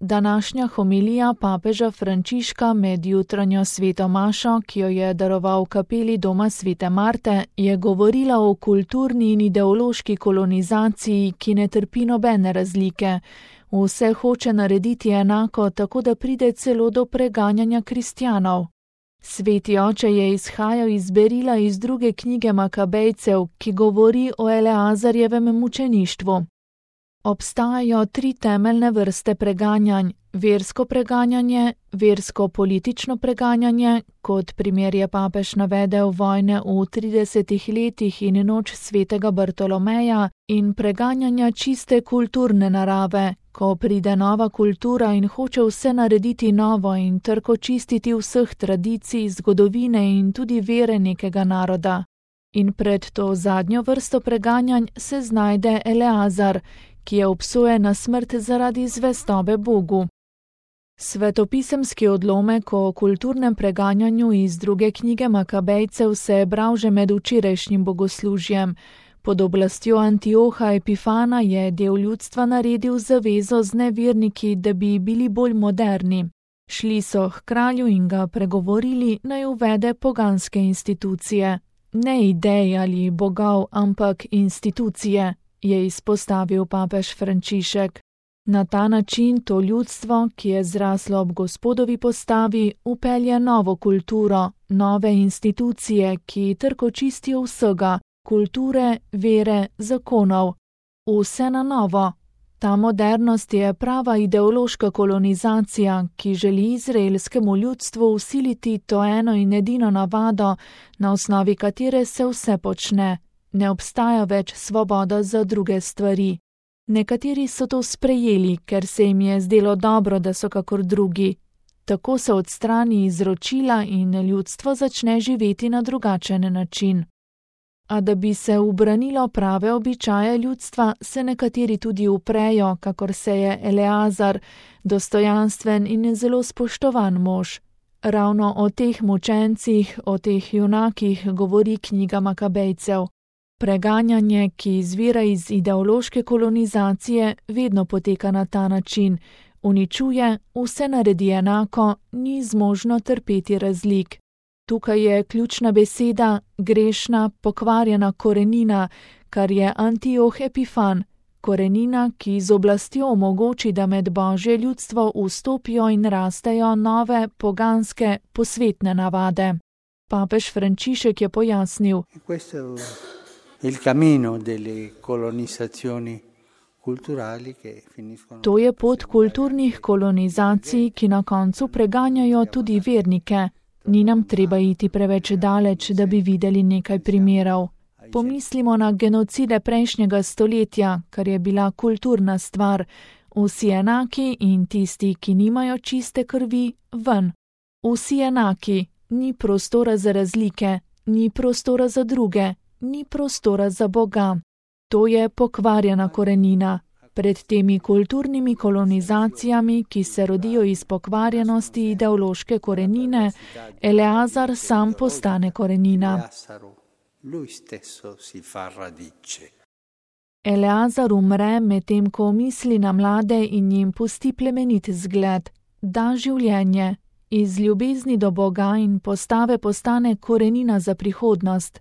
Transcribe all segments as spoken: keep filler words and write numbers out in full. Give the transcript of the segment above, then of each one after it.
Današnja homilija papeža Frančiška med jutranjo sveto mašo, ki jo je daroval v kapeli doma svete Marte, je govorila o kulturni in ideološki kolonizaciji, ki ne trpi nobene razlike. Vse hoče narediti enako, tako da pride celo do preganjanja kristjanov. Sveti oče je izhajal iz berila iz druge knjige Makabejcev, ki govori o Eleazarjevem mučeništvu. Obstajajo tri temeljne vrste preganjanj: versko preganjanje, versko-politično preganjanje, kot primer je papež navedel vojne v tridesetih letih in noč svetega Bartolomeja, in preganjanja čiste kulturne narave, ko pride nova kultura in hoče vse narediti novo in trko čistiti vseh tradicij, zgodovine in tudi vere nekega naroda. In pred to zadnjo vrsto preganjanj se znajde Eleazar, ki je obsojen na smrt zaradi zvestobe Bogu. Svetopisemski odlomek o kulturnem preganjanju iz druge knjige Makabejcev se je bral že med včerajšnjim bogoslužjem. Pod oblastjo Antioha Epifana je del ljudstva naredil zavezo z neverniki, da bi bili bolj moderni. Šli so k kralju in ga pregovorili, naj uvede poganske institucije. Ne idej ali bogov, ampak institucije, je izpostavil papež Frančišek. Na ta način to ljudstvo, ki je zraslo ob Gospodovi postavi, upelje novo kulturo, nove institucije, ki trko čistijo vsega, kulture, vere, zakonov. Vse na novo. Ta modernost je prava ideološka kolonizacija, ki želi izraelskemu ljudstvu vsiliti to eno in edino navado, na osnovi katere se vse počne. Ne obstaja več svoboda za druge stvari. Nekateri so to sprejeli, ker se jim je zdelo dobro, da so kakor drugi. Tako se odstrani izročila in ljudstvo začne živeti na drugačen način. A da bi se ubranilo prave običaje ljudstva, se nekateri tudi uprejo, kakor se je Eleazar, dostojanstven in zelo spoštovan mož. Ravno o teh mučencih, o teh junakih govori knjiga Makabejcev. Preganjanje, ki izvira iz ideološke kolonizacije, vedno poteka na ta način. Uničuje, vse naredi enako, ni zmožno trpeti razlik. Tukaj je ključna beseda, grešna, pokvarjena korenina, kar je Antioh Epifan, korenina, ki z oblastjo omogoči, da med Božje ljudstvo vstopijo in rastejo nove, poganske, posvetne navade. Papež Frančišek je pojasnil: To je pot kulturnih kolonizacij, ki na koncu preganjajo tudi vernike. Ni nam treba iti preveč daleč, da bi videli nekaj primerov. Pomislimo na genocide prejšnjega stoletja, kar je bila kulturna stvar. Vsi enaki in tisti, ki nimajo čiste krvi, ven. Vsi enaki, ni prostora za razlike, ni prostora za druge, ni prostora za Boga. To je pokvarjena korenina. Pred temi kulturnimi kolonizacijami, ki se rodijo iz pokvarjenosti ideološke korenine, Eleazar sam postane korenina. Eleazar umre, medtem ko misli na mlade in jim pusti plemenit zgled, da življenje, iz ljubezni do Boga in postave postane korenina za prihodnost.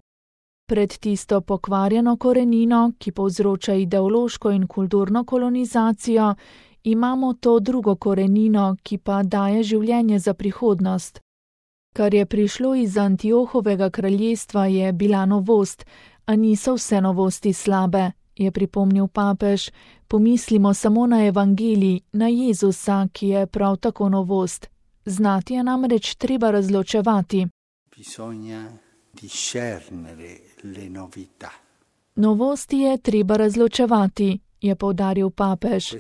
Pred tisto pokvarjeno korenino, ki povzroča ideološko in kulturno kolonizacijo, imamo to drugo korenino, ki pa daje življenje za prihodnost. Kar je prišlo iz Antiohovega kraljestva, je bila novost, a niso vse novosti slabe, je pripomnil papež. Pomislimo samo na evangelij, na Jezusa, ki je prav tako novost. Znati je namreč treba razločevati. Novosti je treba razločevati, je poudaril papež.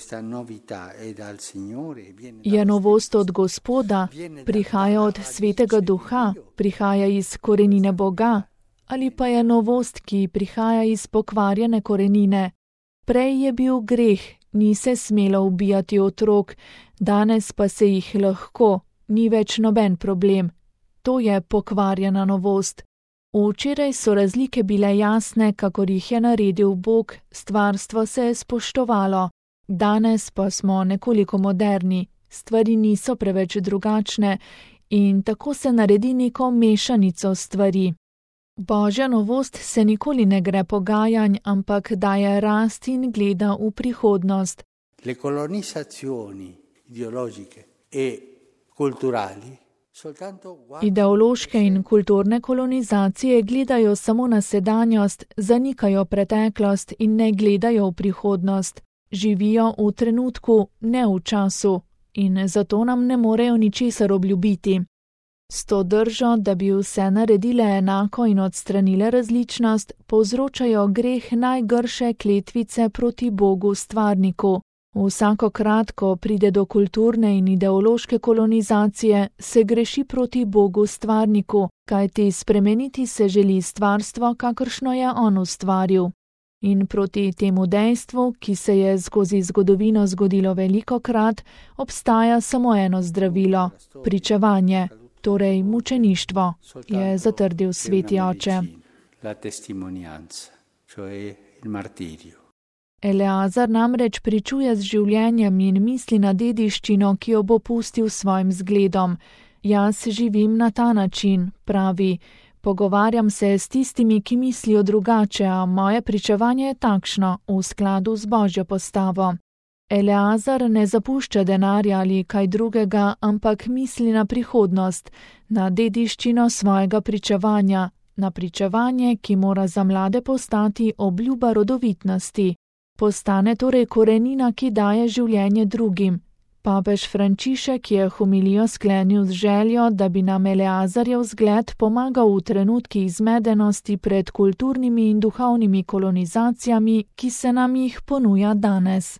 Je novost od Gospoda, prihaja od Svetega Duha, prihaja iz korenine Boga, ali pa je novost, ki prihaja iz pokvarjene korenine. Prej je bil greh, ni se smelo ubijati otrok, danes pa se jih lahko, ni več noben problem. To je pokvarjena novost. Včeraj so razlike bile jasne, kakor jih je naredil Bog, stvarstvo se je spoštovalo. Danes pa smo nekoliko moderni, stvari niso preveč drugačne in tako se naredi neko mešanico stvari. Božja novost se nikoli ne gre pogajanj, ampak daje rast in gleda v prihodnost. Le colonizzazioni ideologiche e culturali Ideološke in kulturne kolonizacije gledajo samo na sedanjost, zanikajo preteklost in ne gledajo v prihodnost. Živijo v trenutku, ne v času, in zato nam ne morejo ničesar obljubiti. S to držo, da bi vse naredile enako in odstranile različnost, povzročajo greh najgrše kletvice proti Bogu stvarniku. Vsakokrat, ko pride do kulturne in ideološke kolonizacije, se greši proti Bogu stvarniku, kajti spremeniti se želi stvarstvo, kakršno je on ustvaril. In proti temu dejstvu, ki se je skozi zgodovino zgodilo velikokrat, obstaja samo eno zdravilo – pričevanje, torej mučeništvo, je zatrdil sveti oče. Eleazar namreč pričuje z življenjem in misli na dediščino, ki jo bo pustil svojim zgledom. Jaz živim na ta način, pravi. Pogovarjam se s tistimi, ki mislijo drugače, a moje pričevanje je takšno, v skladu z Božjo postavo. Eleazar ne zapušča denarja ali kaj drugega, ampak misli na prihodnost, na dediščino svojega pričevanja, na pričevanje, ki mora za mlade postati obljuba rodovitnosti. Postane torej korenina, ki daje življenje drugim. Papež Frančišek je homilijo sklenil z željo, da bi nam Eleazarjev zgled pomagal v trenutkih zmedenosti pred kulturnimi in duhovnimi kolonizacijami, ki se nam jih ponuja danes.